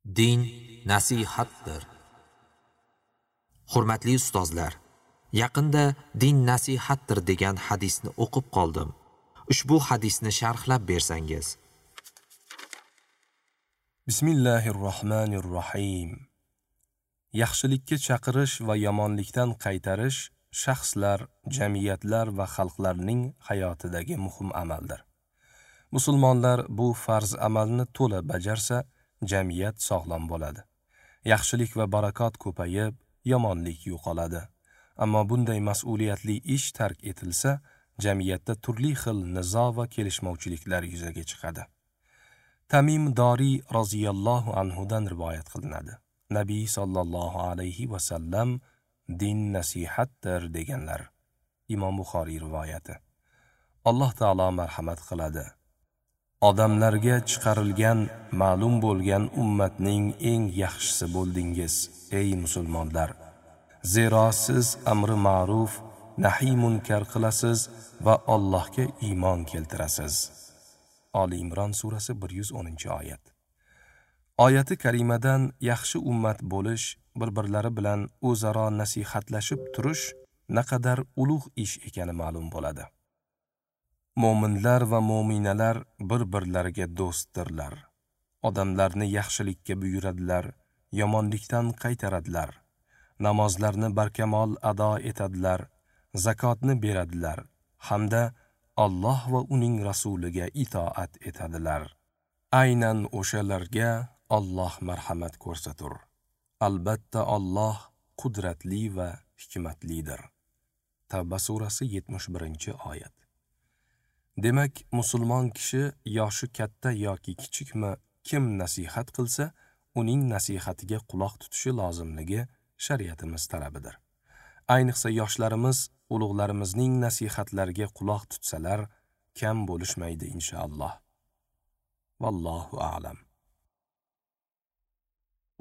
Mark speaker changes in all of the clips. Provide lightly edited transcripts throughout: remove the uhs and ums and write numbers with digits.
Speaker 1: Din nasihatdir. Hurmatli ustozlar, yaqinda din nasihatdir degan hadisni o'qib qoldim. Ushbu hadisni sharhlab bersangiz.
Speaker 2: Bismillahirrohmanirrohim. Yaxshilikka chaqirish va yomonlikdan qaytarish shaxslar, jamiyatlar va xalqlarning hayotidagi muhim amaldir. Musulmonlar bu farz amalni to'la bajarsa, jamiyat sog'lom bo'ladi. Yaxshilik va barakot ko'payib, yomonlik yo'qoladi. Ammo bunday mas'uliyatli ish tark etilsa, jamiyatda turli xil nizo va kelishmovchiliklar yuzaga chiqadi. Tamim Dori roziyallohu anhudan rivoyat qilinadi. Nabiy sallallohu alayhi va sallam din nasihatdir deganlar. Imom Buxoriy rivoyati. Alloh taolo marhamat qiladi. Odamlarga chiqarilgan, ma'lum bo'lgan ummatning eng yaxshisi bo'ldingiz, ey musulmonlar. Zero siz amri ma'ruf, nahiy munkar qilasiz va Allohga iymon keltirasiz. Oli Imron surasi 110-oyat. Oyati karimadan yaxshi ummat bo'lish, bir-birlari bilan o'zaro nasihatlashib turish naqadar ulug' ish ekani ma'lum bo'ladi. Mo'minlar va mo'minalar bir-birlariga do'stdirlar. Odamlarni yaxshilikka buyuradilar, yomonlikdan qaytaradilar. Namozlarni barkamol ado etadilar, zakotni beradilar hamda Alloh va uning rasuliga itoat etadilar. Aynan o'shalarga Alloh marhamat ko'rsatur. Albatta Alloh qudratli va hikmatlidir. Tavba surasi 71-oyat. Demak, musulmon kishi yoshi katta yoki kichikmi, kim nasihat qilsa, uning nasihatiga quloq tutishi lozimligi shariatimiz talabidir. Ayniqsa yoshlarimiz ulug'larimizning nasihatlariga quloq tutsalar, kam bo'lishmaydi inshaalloh. Vallohu a'lam.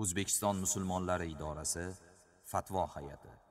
Speaker 1: O'zbekiston musulmonlari idorasi Fatvo hay'ati.